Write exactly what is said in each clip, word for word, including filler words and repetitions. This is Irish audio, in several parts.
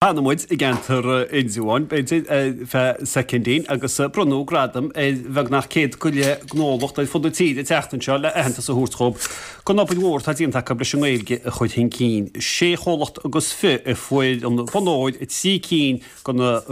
Fanfaidh muid i gceantar Indreabháin, b'fhéidir, feadh soicindín agus bronnadh gradam ar bheagnach céad go leith gnólacht ar fud na tíre an tseachtain seo le aitheantas a thabhairt dhóibh don obair mhór atá déanta acu leis an nGaeilge a chur chun cinn. Sé chomhlacht agus fiche a fuair an bonn óir i trí cinn de na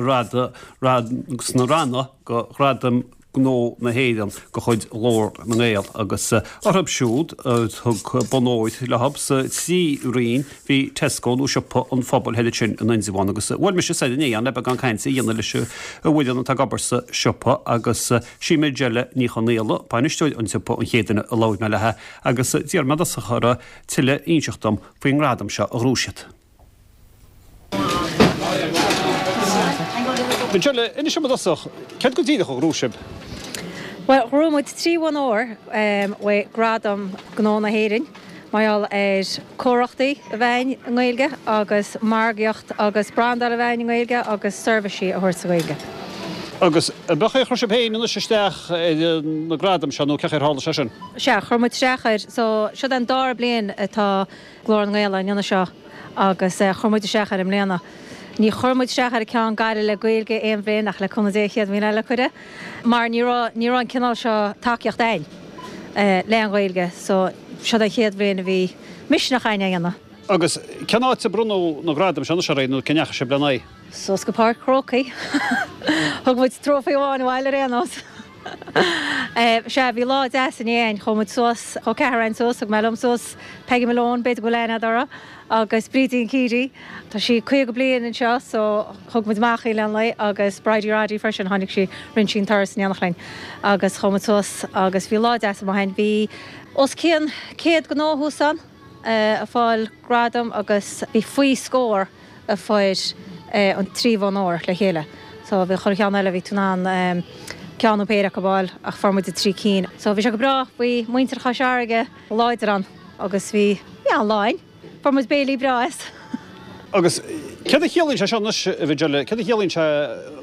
ranna de Ghradaim Gnó na hÉireann de chuid Ghlór na nGael agus orthu siúd a thug bonn óir leo sa trí roinn bhí Tesco nó Siopa an Phobail thoir ansin in Indreabhán agus bhuail mise soir inné ann le beagán cainte a dhéanamh leis an bhfoireann atá ag obair sa siopa agus sí Majella Ní Chonaola, bainisteoir an tsiopa an chéad duine a labhair mé léi agus d'iarr mé i dtosach uirthi tuilleadh a inseacht dom faoin ngradam seo a ghnóthaigh siad. Majella, inis dom i dtosach, céard go díreach a ghnóthaigh sibh? Bhuel, ghnóthaigh muid trí bhonn óir uaidh Gradam Gnó na hÉireann mar gheall ar comharthaíocht a bheith againn i nGaeilge agus margaíocht agus brandáil a bheith againn i nGaeilge agus seirbhísí a thabhairt sa Ghaeilge. Agus an é chuir sibh féin anois isteach ar na gradaim seo nó cén chaoi ar tharla sé sin? Sea, chuir muid isteach air. So, seo an dara bliain atá Glór na nGael á ndéanamh seo agus chuir muid isteach air i mbliana. Ní chuir muid isteach ar an ceann Gaillimh le Gaeilge aon bhliain ach le cúnamh Dé chéad bhliain eile cuireadh mar ní raibh ní raibh an cineál seo tacaíocht againn le an Ghaeilge so seo an chéad bhliain a bhí misneach againn é a dhéanamh. Agus cén áit a bronnadh na gradaim seo anois aréir nó cá ndeachaigh sibh lena n-aghaidh? Suas go Páirc Chrócaigh. Thug muid trófaí amháin abhaile ar aon nós. Sea, bhí lá deas inné againn. Chuaigh muid suas, chuaigh ceathrar againn suas, thug mé liom suas Peggy Malone, b'fhéidir go bhfuil aithne agat uirthi, agus Brídín Keady. Tá sí caoga bliain anseo so thug muid amach í le an lae agus Bridie Roddy freisin, tháinig sí, rinne sí an turas in éineacht linn agus chuaigh muid suas agus bhí lá deas amuigh againn. Bhí os cionn céad gnó thuas ann ag fáil gradam agus bhí faoi scór a fuair an trí bhonn óir le chéile. So bhí chuile cheann eile, bhí tú in ann ceann nó péire acu a fháil ach fuair muid trí cinn. So bhí sé go breá, bhí muintir Chois Fharraige láidir ann agus bhí, bhí an-lá againn. Fuair muid béilí breá as. Agus céard a chiallaíonn sé seo anois, a Mhajella, céard a chiallaíonn sé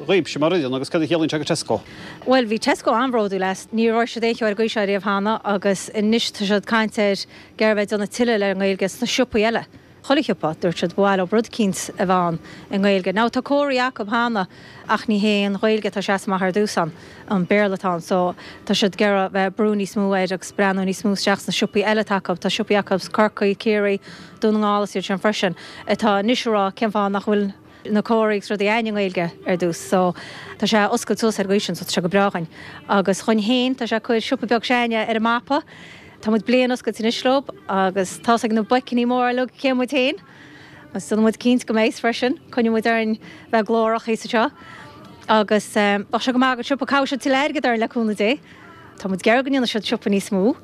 dhaoibhse mar fhoireann agus céard a chiallaíonn sé do Tesco? Bhuel, bhí Tesco an-bhródúil as. Ní raibh siad aon cheo ar an gcaoi seo riamh cheana agus anois tá siad ag caint ar ag iarraidh bheith ag déanamh tuilleadh le an nGaeilge sna siopaí eile. Chuile shiopa, dúirt siad, ba mhaith leo rud eicínt a bheith ann i nGaeilge. Now tá comharthaí acu cheana ach ní hé an Ghaeilge atá ag seasamh amach ar dtús ann, an Béarla atá ann. So tá siad ag iarraidh bheith ag brú níos mó air agus breathnú níos mó isteach sna siopaí eile atá acu. Tá siopaí acu Corcaigh, Ciarraí, Dún na nGall is iad sin freisin atá anois ag rá cén fáth nach bhfuil na comharthaí agus rudaí againn i nGaeilge ar dtús. So tá sé ag oscailt suas ar an gcaoi sin so tá sé go breá dhuinn. Agus dhuinn féin tá sé ag cur siopa beag s'againne ar an mapa. Tá muid bliain oscailte anois leo agus tá's ag na boiceanna móra uilig cé muid féin agus déanfaidh muid cinnte go mbeidh freisin. Coinneoidh muid orainn bheith glórach thíos anseo agus bheadh sé go maith don siopa caithfidh siad tuilleadh airgead orainn le cúnamh Dé. Tá muid ag iarraidh go ndéanfaidh siad siopa níos mó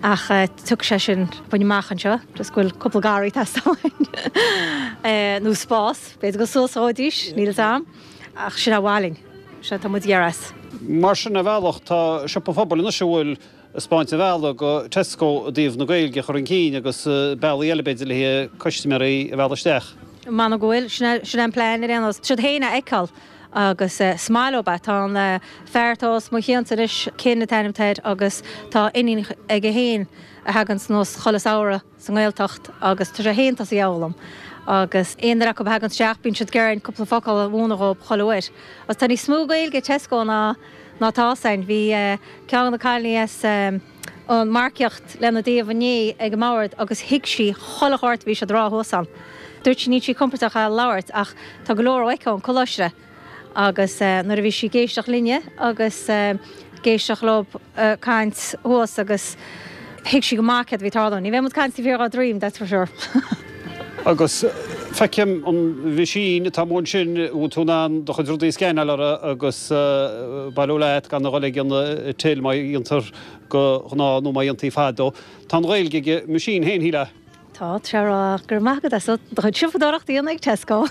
ach tiocfaidh sé sin bain amach anseo just go bhfuil cúpla garraí ag teastáil uainn nó spás, b'fhéidir go suas a dhóidís, níl fhios a'm ach sin é a mhaith linn, sin atá muid ag iarraidh as. Mar sin ar bhealach tá Siopa an Phobail anois a bhfuil ag 'spáint an bhealaigh do Tesco i dtaobh na Gaeilge a chur chun cinn agus bealaí eile b'fhéidir le custaiméirí a mhealladh isteach. M'anam go bhfuil. Sin é an plean ar aon nós. Siad féin a fheiceáil agus is maith leo é. Tá an fear atá os mo chionn anois, Ken an t-ainm atá air, agus tá iníon aige féin a thaganns anuas chuile samhradh sa nGaeltacht agus tá sé féin tosaithe a fhoghlaim agus aon duine acu a thaganns isteach bíonn siad ag iarraidh cúpla focal a mhúineadh dhóibh chuile uair. Agus tá níos mó Gaeilge i Tesco ná ná tá againn. Bhí ceann de na cailíní as an marcaíocht lena dtaobh inné ag an mbord agus thuig sí chuile shórt a bhí siad a rá thuas ann. Dúirt sí níl sí compordach á labhairt ach tá go leor aici ón coláiste agus nuair a bhí sí ag éisteacht linne agus ag éisteacht leo ag caint thuas agus thuig sí go maith céard a bhí ag tarlú. Ní bheidh muid ag caint taobh thiar dhá droim, that's for sure. Agus feicim an mheaisín atá amuigh ansin, bhfuil tú in ann do chuid rudaí a scanáil uirthi agus bailiú leat gan a dhul ag an till mar a dhéantar de ghnáth nó mar a dhéantaí fadó. Tá an Ghaeilge ag an meaisín féin, shílfeá. Tá, tá sé ag rá go raibh maith agat as do chuid siopadóireachta a dhéanamh ag Tesco.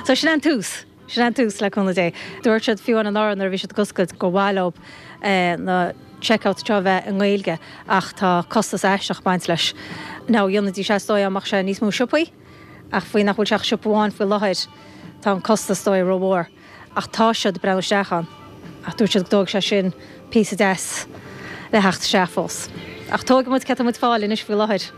So sin an tús. Sin an tús, le cúnamh Dé. Dúirt siad fiú anuraidh nuair a bhí siad ag oscailt gur mhaith leo na checkouts seo a bheith i nGaeilge ach tá costas aisteach ag baint leis. Now dhéanfaidís é is dóigh dá mbeadh sé níos mó siopaí ach faoi nach bhfuil sé ach siopa amháin faoi láthair tá an costas is dóigh rómhór. Ach tá siad ag breathnú isteach ann. Ach dúirt siad go dtógfaidh sé sin píosa deas le theacht isteach fós. Ach tógfaidh muid cé tá muid ag fáil anois faoi láthair.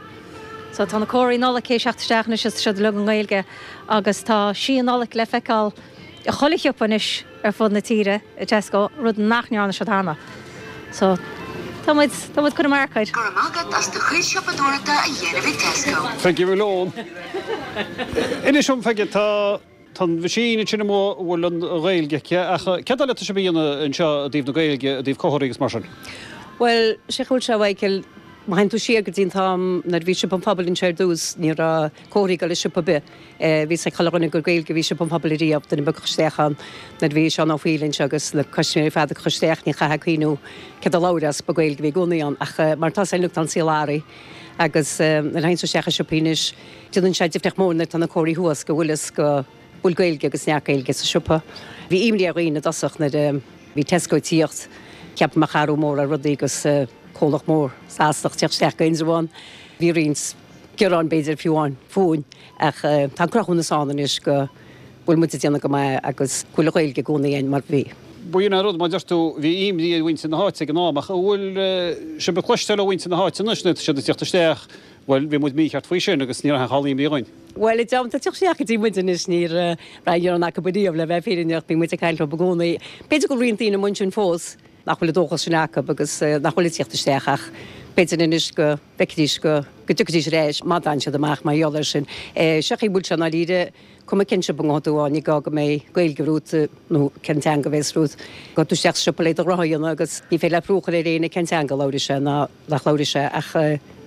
So tá na comharthaí Nollag tar éis teacht isteach anois is tá siad uilig i nGaeilge agus tá sí Nollag le feiceáil i chuile shiopa anois ar fud na tíre i Tesco, rud nach ndearna siad cheana. So tá muid tá muid chun marcaid. Go raibh maith agat as do chuid siopadóireachta a dhéanamh ag Tesco. Peggy Malone. Inis dom Peggy tá Tá machine sin amuigh bhfuil an Ghaeilge aici ach cad eile atá sibh a dhéanamh anseo i dtaobh na Gaeilge i dtaobh comharthaí agus mar sin. Well sé chuil se Michael má théann tú siar go dtí an t-am nuair bhí Siopa an Phobail anseo ar dtús ní raibh comharthaí ag dul i siopa ar bith. Bhí a fhios ag chuile dhuine gur Gaeilge bhí Siopa an Phobail ariamh duine beag isteach ann nuair bhí Seán Ó Fearghail anseo agus na custaiméirí ar fad ag isteach ní chaithfeá cuimhniú céard a labhródh as ba Gaeilge bhí i gcónaí ann ach mar tá sé tá an saol athraithe agus nuair a théann tú isteach i siopaí anois déanann sé difríocht mór nuair tá na comharthaí thuas go bhfuil fhios go bhfuil Gaeilge agus neart Gaeilge sa siopa. Bhí imní ar dhaoine i dtosach nuair bhí Tesco ag tíocht ceap mar athrú mór ar rudaí agus comhlacht mór Sasanach teacht isteach go Indreabhán. Bhí roinnt gearán b'fhéidir fiú amháin fúinn ach tá cruthúnas ann anois go bhfuil muid ag déanamh go maith agus go bhfuil Gaeilge i gcónaí ann mar bhí. B'in an rud mar deir tú bhí imní ar mhuintir na háite ag an am ach bhfuil sibh ag cloisteáil ó mhuintir na háite anois nuair atá siad ag teacht isteach Well bhí muid mícheart faoi sin agus ní raibh aon imní againn. Well i dteannta teacht isteach go dtí muid anois ní raibh gearán acu riamh le bheith fírinneach bhí muid ag caint leo i gcónaí. B'fhéidir go roinnt daoine ansin fós nach bhfuil an dóchas sin acu agus nach bhfuil ag teacht isteach ach b'fhéidir anois go bhfeicfidís go go dtiocfaidís ar ais má d'fhan siad amach mar gheall air sin. Seo chaoi bhfuil sé i ndáiríre cuma cén siopa a ngabhfaidh tú ann ní gá go mbeidh Gaeilge romhat nó cén teanga a bheas romhat. Gabhfaidh tú isteach sa siopa le do ghnóthaí a dhéanamh agus ní féidir leat brú a chur ar éinne cén teanga a labhróidh sé ná nach labhróidh sé ach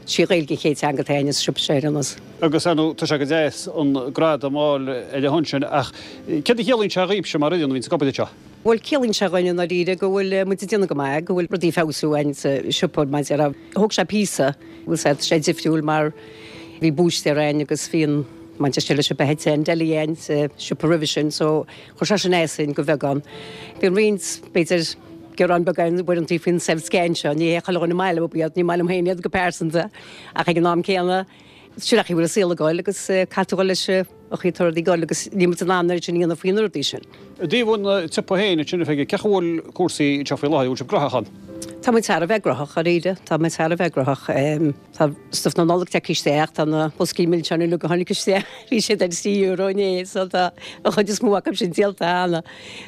sí Gaeilge an chéad teanga atá againne sa siopa seo ar aon nós. Agus ar ndóigh tá sé go deas an gradam a fháil ar a shon sin ach céard a chiallaíonn sé dhaoibhse mar fhoireann a bhíonns ag obair anseo? Bhuel ciallaíonn sé dhuinn i ndáiríre go bhfuil muid ag déanamh go maith, go bhfuil rudaí ag feabhsú againn sa siopa mar a déarfá. Thóg sé píosa, bhfuil sé sé difriúil mar bhí búistéir againn agus bhí an Manchester leis an H an deli againn sa siopa roimhe sin, so chuir sé sin as dúinn go beagán. Bíonn roinnt b'fhéidir gearán beagán uaireanta faoin self scan seo, ní hé chuile dhuine maith leo iad, ní maith liom féin iad go pearsanta ach ag an am céanna sin an chaoi a bhfuil an saol ag goil agus caithfidh tú dul leis an chaoi atá rudaí ag goil agus níl muid in ann an oiread sin a dhéanamh faoi na rudaí sin. I dtaobh an tsiopa féin ansin a Pheigí, cén chaoi a bhfuil cúrsaí anseo faoi láthair, bhfuil sibh gnóthach ann? Tá muid thar a bheith gnóthach dáiríre, tá muid thar a bheith gnóthach. Tá stuif na Nollag tagtha isteach, tá na boscaí milseáin uilig a tháinig isteach, bhí siad ar trí euro inné, so tá an chuid is mó acu sin díolta cheana,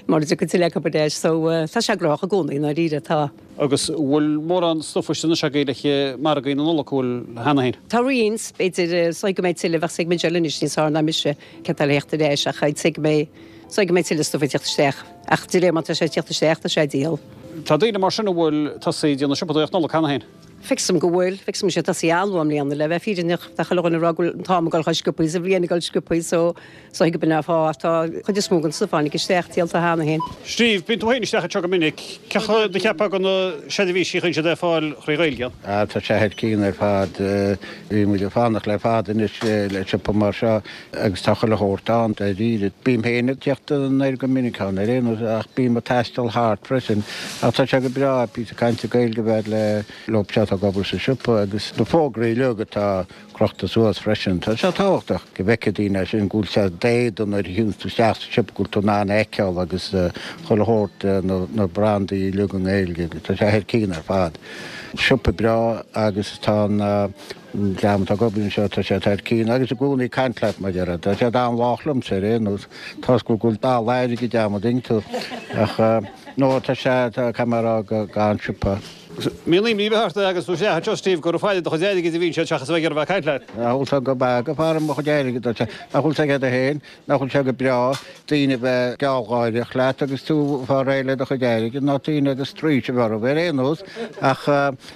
mura dtiocfaidh tuilleadh acu ar ais, so tá sé gnóthach i gcónaí i ndáiríre, tá. Agus bhfuil mórán stuif istigh anois agaibh le margaí na Nollag, bhfuil cheana féin? Tá roinnt, b'fhéidir, is dóigh go mbeidh tuilleadh, bheadh a fhios ag Michelle anois níos fearr ná mise céard atá le theacht ar ais ach I'd say go mbeidh, is dóigh go mbeidh tuilleadh stuif ag teacht isteach, ach de réir mar tá sé ag teacht isteach tá sé ag díol. Tá daoine mar sin a bhfuil tosaithe ag déanamh siopadóireacht Nollag cheana féin. Feicim go bhfuil, feicim sé tosaithe an-luath i mbliana le bheith fírinneach, tá chuile dhuine ag rá go bhfuil an t-am ag dul chomh sciobtha is an bhliain ag dul sciobtha so is dóigh go b'in an fáth tá chuid is mó den stuif a tháinig isteach díolta cheana féin. Steve, bíonn tú féin isteach anseo go minic, cén chaoi a cheapfá go na seirbhísí a chuireann siad ar fáil thrí Ghaeilge ann? Ah tá sé thar cionn ar fad, bhí muid ag fanacht le fada anois le siopa mar seo agus tá chuile shórt ann dáiríre. Bím féin ag teacht anoir go minic ann ar aon nós ach bím ag taisteal thart freisin ach tá sé go breá píosa cainte Gaeilge a bheith le leo seo atá ag obair sa siopa agus na fógraí uilig atá crochta suas freisin. Tá sé tábhachtach go bhfeicfidh daoine é sin go bhfuil sé d'éadan nuair a théann tú isteach sa siopa go bhfuil tú in ann a fheiceáil agus chuile shórt na brandaí uilig i nGaeilge agus tá sé thar cionn ar fad. Siopa breá agus tá an An dream atá ag obair anseo, tá siad thar cionn agus i gcónaí ag caint leat, mar a déarfá. Tá siad an-lách liomsa ar aon nós. Toisc go bhfuil dall airgid agam, an dtuigeann tú. Ach no, tá sé, tá, caithfidh mé a rá go, go an-siopa. Mbíonn imní ar bith ort agus tú isteach anseo, Steve, gur ag faire do chuid airgid a bhíonn siad seachas a bheith ag iarraidh a bheith ag caint leat. Nach bhfuil sé go breá ag faire mo chuid airgid, dúirt sé. Nach bhfuil sé agat féin, nach bhfuil sé go breá daoine a bheith gealgháireach leat agus tú ag fáil réidh le do chuid airgid ná daoine agus straois a bheith orthu ar aon nós. Ach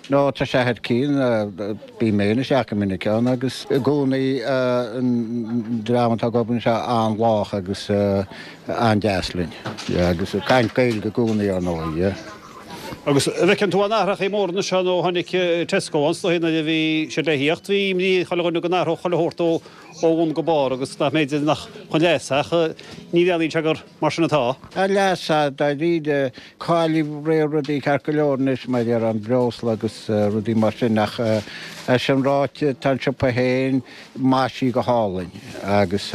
no, tá sé thar cionn. Bím féin isteach go minic ann agus i gcónaí an dream atá ag obair anseo an-lách agus an-deas linn. Yeah, agus ag caint Gaeilge i gcónaí ar ndóigh, yeah. Agus an bhfeiceann tú aon athrachaí móra anois ó tháinig Tesco ann, is dóigh nuair a bhí siad le thíocht, bhí imní ar chuile dhuine go n-athródh chuile shórt ó bhun go barr agus nach mb'fhéidir nach chun leasa ach ní bhreathnaíonn sé gur mar sin atá. Chun leasa, dáiríre, cáilíodh réir rudaí ceart go leor anois mar ar an bhreosla agus rudaí mar sin ach é sin ráite tá an siopa féin maisithe go hálainn agus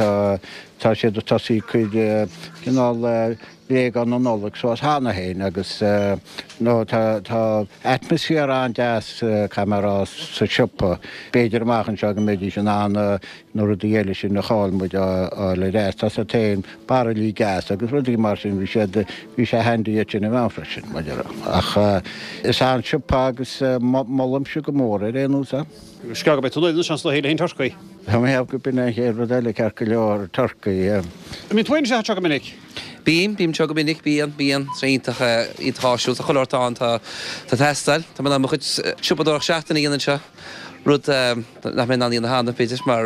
Tá siad ag tosaí ag cur cineál bréagáin na Nollag suas cheana féin agus nó tá tá atmaisféar an-deas caithfidh mé a rá sa siopa. B'fhéidir amach anseo go mbeidís in ann na rudaí eile sin a chaill muid a fháil ar ais. Tá a fhios agat féin bairillí gas agus rudaí mar sin bhí siad bhí sé handy iad sin a bheith ann freisin mar a déarfá. Ach is an-siopa agus molaimse go mór ar aon nós é. Agus go mbeidh tú anois ann le haghaidh turcaí. Tá mé ag ceapadh go b'in an chéad rud eile ceart go leor, turcaí. An mbíonn tú féin anseo go minic? Bím, bím anseo go minic, bíonn, bíonn. Tá sé iontach, iontach áisiúil. Tá chuile shórt ann, tá, tá teastáil. Tá mé in ann mo chuid siopadóireacht seachtaine a dhéanamh anseo, rud nach mbeinn in ann a dhéanamh cheana, b'fhéidir, mar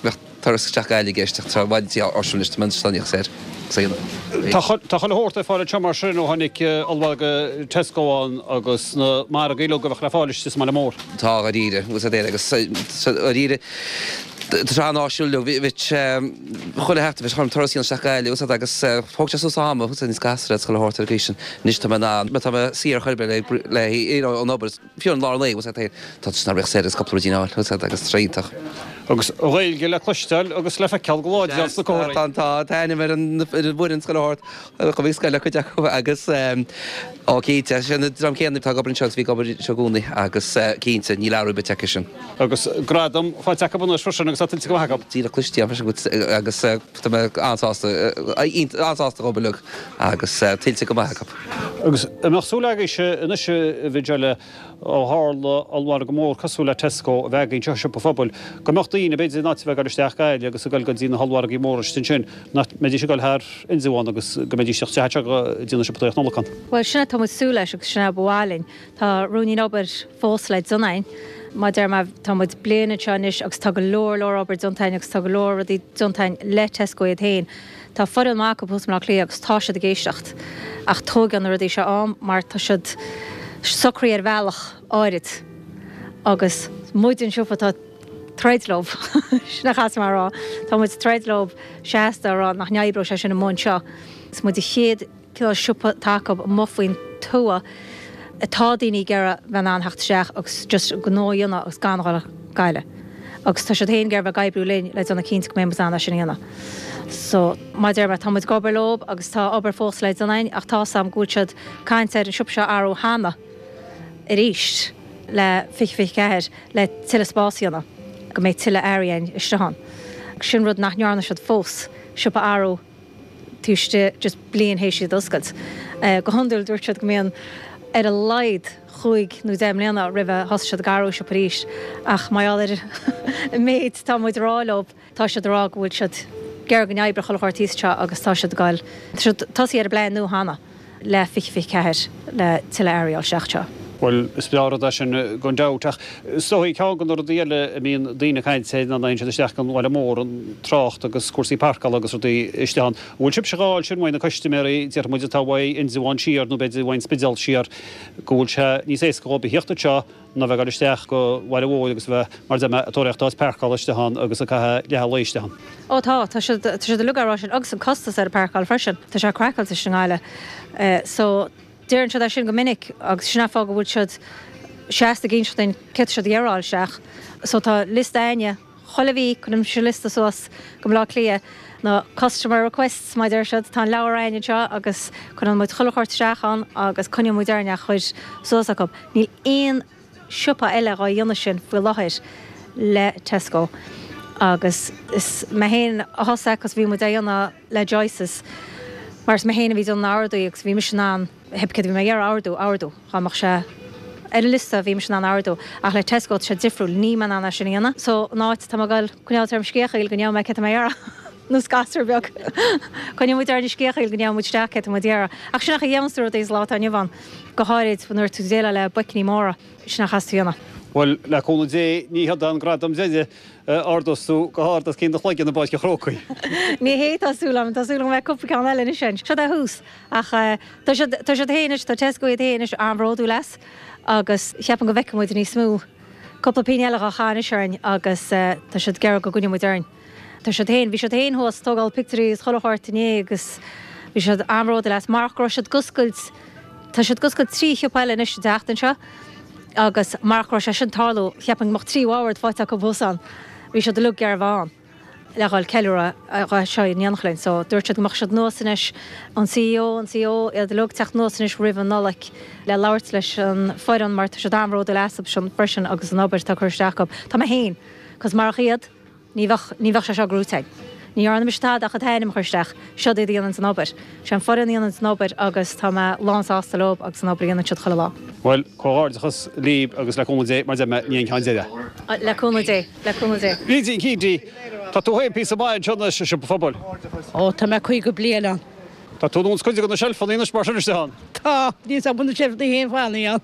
bheadh turas isteach Gaillimh i gceist ach tá i bhfad níos áisiúil anois, tá mé anseo níos saor. Tá chuile shórt ar fáil anseo mar sin ó tháinig ollmhargadh Tesco ann agus na margaí uilig a bheadh le fáil istigh sa mbaile mór. Tá, dháiríre, agus agus dháiríre, tá sé an-áisiúil leo. Bhí chuile sheachtain, bhí orm turas a dhéanamh isteach Gaillimh agus thóg sé suas am agus níos gasra agus chuile shórt ar an gcaoi sin. Anois tá mé in ann, tá mé saor chor ar bith le you know ón obair, fiú an lár lae, tá sé nach raibh saor agus cúpla ruidín a fháil agus tá sé iontach. Agus an Ghaeilge le cloisteáil agus le feiceáil go láidir ann sna comharthaí. Tá, tá, tá ainm ar an bhfoireann scoile thart, chuaigh scoil le cuid acu agus ó cinnte, sé an dream céanna atá ag obair anseo agus bhí ag obair anseo i gcónaí agus cinnte, níl athrú ar bith tagtha sin. Agus gradam faighte acu anois freisin agus tá tuillte go maith acu. Díreach cliste freisin agus tá mé an-sásta, an-sásta ag obair leo agus tuillte go maith acu. Agus an mbeadh súil agaibhse anois a Mhiguel, ó tharla ollmhargadh mór cosúil le Tesco a bheith againn anseo i Siopa an Phobail, go mbeadh daoine, b'fhéidir, in áit a bheith ag dul isteach Gaillimh agus ag dul go dtí na hollmhargaí móra istigh ansin, nach mbeidís ag dul thar Indreabhán agus go mbeidís ag teacht isteach anseo go dtí na siopadóireacht Nollag ann. Bhuel, sin é tá muid ag súil leis agus sin é ba mhaith linn. Tá ruainnín obair fós le déanamh againn. Mar a deir mé, tá muid bliain anseo anois agus tá go leor leor obair déanta againn agus tá go leor rudaí déanta againn le Tesco iad féin. Tá foireann maith acu thuas i mBleá Cliath agus tá siad ag éisteacht ach tóigeann na rudaí seo am mar tá siad socraithe ar bhealach áirid agus muid an siopa atá ag troid leo, sin a chaithfidh mé a rá, tá muid ag troid leo seasta a rá nach n-oibreoidh sé sin amuigh anseo. Is muid an chéad cineál siopa atá acu amuigh faoin tuath atá daoine ag iarraidh bheith in ann theacht isteach agus just gnó a dhéanamh agus gan a dhul Gaillimh. Agus tá siad féin ag iarraidh bheith ag oibriú linn le déanamh cinnte go mbeidh muid in ann é sin a dhéanamh. So, mar a deir mé, tá muid ag obair leo agus tá obair fós le déanamh againn ach tá 's agam go bhfuil siad ag caint ar an siopa seo a athrú cheana arís le fiche fiche ceathair le tuilleadh spás a dhéanamh, go mbeidh tuilleadh earraí againn istigh ann. Sin rud nach ndearna siad fós, siopa a athrú taobh istigh just bliain théis iad a oscailt. Go hiondúil dúirt siad go mbíonn ar a laghad chúig nó deich mbliana roimh a thosaigh siad ag athrú siopa arís ach mar gheall ar an méid atá muid a rá leo tá siad a rá go bhfuil siad ag iarraidh go n-oibreodh chuile shórt thíos anseo agus tá siad ag goil tá siad tosaithe ar an bplean nua cheana le fiche fiche ceathair le tuilleadh earraí a fháil isteach anseo. Bhuel, is breá an rud é sin gan dabht, ach is dóigh ceann de na rudaí eile a mbíonn daoine ag caint air ná nuair a théann siad isteach go bhaile mór, an trácht agus cúrsaí páirceála agus rudaí istigh ann. An bhfuil sibhse dhá fháil sin uaidh na custaiméirí, déarfaidh muid atá uaidh Indreabhán siar nó b'fhéidir uaidh an Spidéal siar, go bhfuil sé níos éasca dhóibh a thíocht anseo ná bheith ag dul isteach go bhaile mhóir agus a bheith, mar a deir mé, ag tóraíocht áit páirceála istigh ann agus ag caitheamh leath an lae istigh ann? Ó tá, tá siad, tá siad uilig á rá sin agus an costas ar an bpáirceáil freisin, tá sé craiceáilte istigh i nGaillimh. So. Deireann siad é sin go minic agus sin an fáth go bhfuil siad seasta ag inseacht duinn céard tá siad ag iarraidh a fháil isteach. So tá liosta a'inne, chuile mhí cuirimse liosta suas go Baile Átha Cliath, na customer requests mar a deir siad, tá an leabhar a'inne anseo agus cuireann muid chuile shórt isteach ann agus coinníonn muid orainn é a chur suas acu. Níl aon siopa eile dhá dhéanamh sin faoi láthair le Tesco agus is mé féin a thosaigh agus bhí muid á dhéanamh le Joyce's mar is mé féin a bhí ag déanamh na n-orduithe agus bhí mise in ann pé céard a bhí mé ag iarraidh a ordú, a ordú, dá mbeadh sé ar an liosta bhí mise in ann a ordú ach le Tesco tá sé difriúil, níl mé in ann é sin a dhéanamh so in áit tá mé ag dul coinneáil orm sciathchaol go ndéanfaidh mé céard tá mé ag iarraidh nós gasúr beag coinneoidh muid orainn sciathchaol go ndéanfaidh muid isteach céard tá muid ag iarraidh ach sin é an chaoi a dhéananns tú rudaí sa lá atá inniu ann go háirid nuair tú ag déileáil le boicní móra sin é a chaithfeas tú a dhéanamh. Bhuel, le cúnamh Dé, ní hiod an gradam deiridh a ardós tú go hard os cionn do chloigeann i bPáirc an Chrócaigh. Ní hé, tá súil agam. Tá súil agam go mbeidh cúpla ceann eile anois ann. Seo é thús. Ach tá siad, tá siad féin anois, tá Tesco iad féin anois an-bhródúil as agus cheapfainn go bhfeicfidh muid níos mó. Cúpla pingin eile dhá chaitheamh anois orainn agus tá siad ag iarraidh go gcoinneoidh muid orainn. Tá siad féin, bhí siad féin thuas ag tógáil pictiúirí is chuile shórt inné agus bhí siad an-bhródúil as. Marach go raibh siad ag oscailt, tá siad ag oscailt trí shiopa eile anois an tseachtain seo. Agus marach go raibh sé sin ag tarlú, cheapfainn go mbeadh trí bhord faighte acu thuas ann. Bhí siad uilig ag iarraidh a bheith ann. le dhul ceiliúradh seo in éineacht linn. So dúirt siad go mbeadh siad anuas anois, an CEO, an CO, iad uilig teacht anuas anois roimh an Nollaig le labhairt leis an foireann mar tá siad an-bhródúil astu sin freisin agus an obair atá curtha isteach acu. Tá mé féin, cos marach iad, ní bheadh, ní bheadh sé seo gnóite againn. Ní dhearna mise tada ach an t-ainm a chur isteach, siod iad a dhéananns an obair. Sé an foireann a dhéananns an obair agus tá mé lán sásta leo agus an obair a dhéanann siad chuile lá. Bhuel, comhghairdeachas libh agus le cúnamh Dé, mar deir mé, ní an ceann deireadh. Le cúnamh Dé, le cúnamh Dé. Brídín Keady, tá tú féin píosa maith anseo anois i Siopa an Phobail. Ó, tá mé caoga bliain ann. Tá tú ar nós cuid de na seilfeanna anois mar sin istigh ann. Tá, níl 's agam na seilfeanna féin fanaí ann.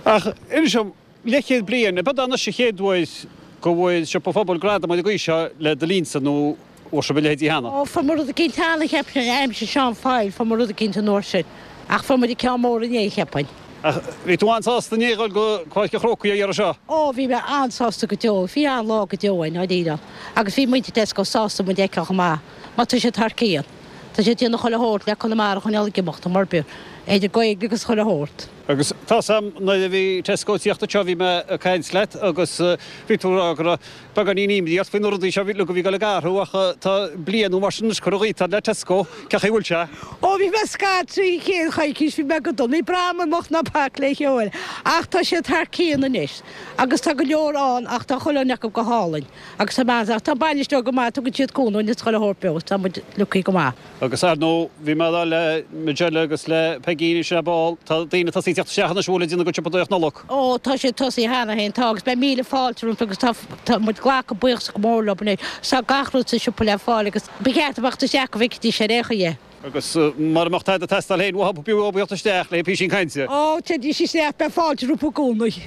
Ach inis dom, leathchéad bliain, ab ea anois an chéad uair go bhfuair Siopa an Phobail gradam ar an gcaoi seo le do linnse nó bhfuair sibh a leithéidí cheana? Ó, fuair muid rud eicínt cheana, cheapfainn, aimsir Seán Foyle, fuair muid rud eicínt an uair sin. Ach fuair muid ceann mór inné, cheapfainn. Ach bhí tú an-sásta inné a dhul go Páirc an Chrócaigh ar dheireadh seo? Ó, bhí mé an-sásta go deo. Bhí an-lá go deo againn, dáiríre. Agus bhí muintir Tesco sásta muid a fheiceáil chomh maith, mar tá siad thar cionn. Tá siad ag déanamh chuile shórt le Conamara a choinneáil ag imeacht, mar b'fhéidir Gaeilge agus chuile shórt. Agus tá's a'm nuair a bhí Tesco ag tíocht anseo bhí mé ag caint leat agus bhí tú ag rá go raibh beagáinín imní ort faoi na rudaí seo uilig a bhí ag dul ag athrú ach tá bliain nó mar sin anois curtha dhíot le Tesco, cén chaoi a bhfuil sé? Ó bhí mé scaití an chéad choicís bhí mé go dona, ní breá liom imeacht ná bac le chéile ach tá siad thar cionn anois agus tá go leor ann ach tá chuile dhuine acu go hálainn agus tá meas ach tá an bainisteoir go maith tugann siad cúnamh dúinn is chuile shórt beo tá muid lucky go maith. Agus ar ndóigh, bhí mé ag rá le Majella agus le Peigín ansin ar ball, tá daoine ag tosaí ag teacht isteach anois a bhfuil ag déanamh a gcuid siopadóireacht Nollag. Ó, tá siad tosaithe cheana féin, tá, agus beidh míle fáilte rompu agus tá, tá muid ag glacadh buíochas go mór leo anois. Tá gach rud sa siopa le fáil agus ba cheart a bheadh isteach go bhfeicfidís ar aon chaoi é. Agus mura mbeadh tada ag teastáil féin uathu, b'fhiú dóibh theacht isteach le písín cainte. Ó, téidís isteach, beidh fáilte rompu i gcónaí.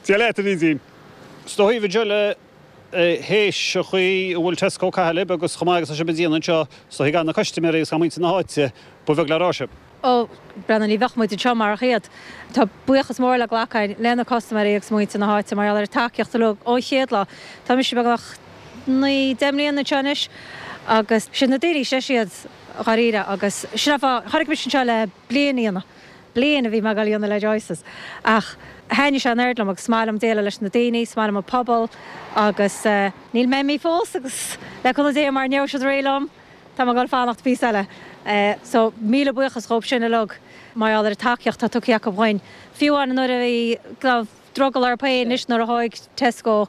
Dia leat, a Bhrídín. Is dóigh, Majella, théis an chaoi a bhfuil Tesco ag caitheamh libh agus chomh maith agus tá sibh ag déanamh anseo, is dóigh gan na custaiméirí agus gan muintir na háite, ba bheag le rá sibh. Ó, Brendan, ní bheadh muid anseo marach iad. Tá buíochas mór le glacadh againn le na custaiméirí agus muintir na háite mar gheall ar an tacaíocht uilig ón chéad lá. Tá mise beagnach naoi, deich mbliana anseo anois agus siad na daoine, sé siad dháiríre agus sin an fáth, tháinig mise anseo le bliain a dhéanamh. Bliain a bhí mé ag dul a dhéanamh le Joyce's ach thaitnigh sé an oiread liom agus is maith liom déileáil leis na daoine, is maith liom an pobal agus níl mé imithe fós agus le cúnamh Dé mara ndéarfaidh siad réidh liom tá mé ag dul fanacht píosa eile. So míle buíochas dhóibh sin uilig mar gheall ar an tacaíocht atá tugtha acu dhuinn. Fiú amháin nuair a bhí drogall orthu féin anois nuair a thóig Tesco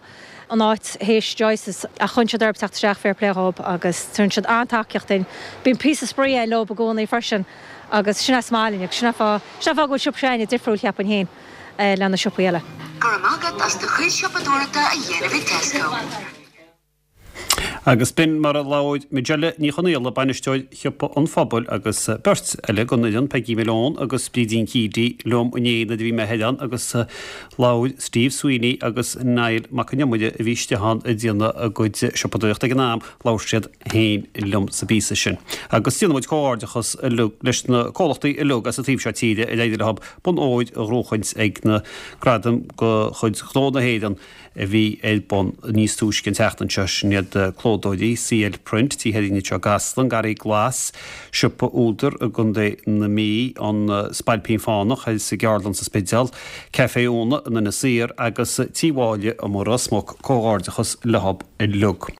an áit théis Joyce's ach choinnigh siad orthu teacht isteach fair play dhóibh agus tugann siad an-tacaíocht duinn. Bíonn píosa spraoi againn leo i gcónaí freisin agus sin é is maith linn agus sin é fáth, sin é fáth go bhfuil siopa s'againne difriúil cheapfainn féin le na siopaí eile. Go raibh maith agat as do chuid siopadóireachta a dhéanamh i Tesco. Agus b'in mar a labhair Majella Ní Chonaola, bainisteoir Shiopa an Phobail, agus beirt eile den fhoireann, Peggy Malone agus Brídín Keady, liom inné nuair a bhí mé thoir ann agus labhair Steve Sweeney agus Niall Mac an Iomaire a bhí istigh ann ag déanamh a gcuid siopadóireachta ag an am, labhair siad féin liom sa bpíosa sin. Agus déanann muid comhghairdeachas leis na comhlachtaí uilig as an taobh seo tíre ar éirigh leo bonn óir a ghnóchaint ag na Gradaim de chuid Ghnó na hÉireann a bhí ar bun níos túisce an tseachtain seo, sin iad clódóirí CL Print, Tigh Herring anseo i gCasla, an Garraí Glas, Siopa Údar i gContae na Mí, An Spailpín Fánach sa gCeardlann sa Spidéal, Café Úna in Inis Oírr agus Tí Mháille i Ros Muc. Comhghairdeachas leo uilig.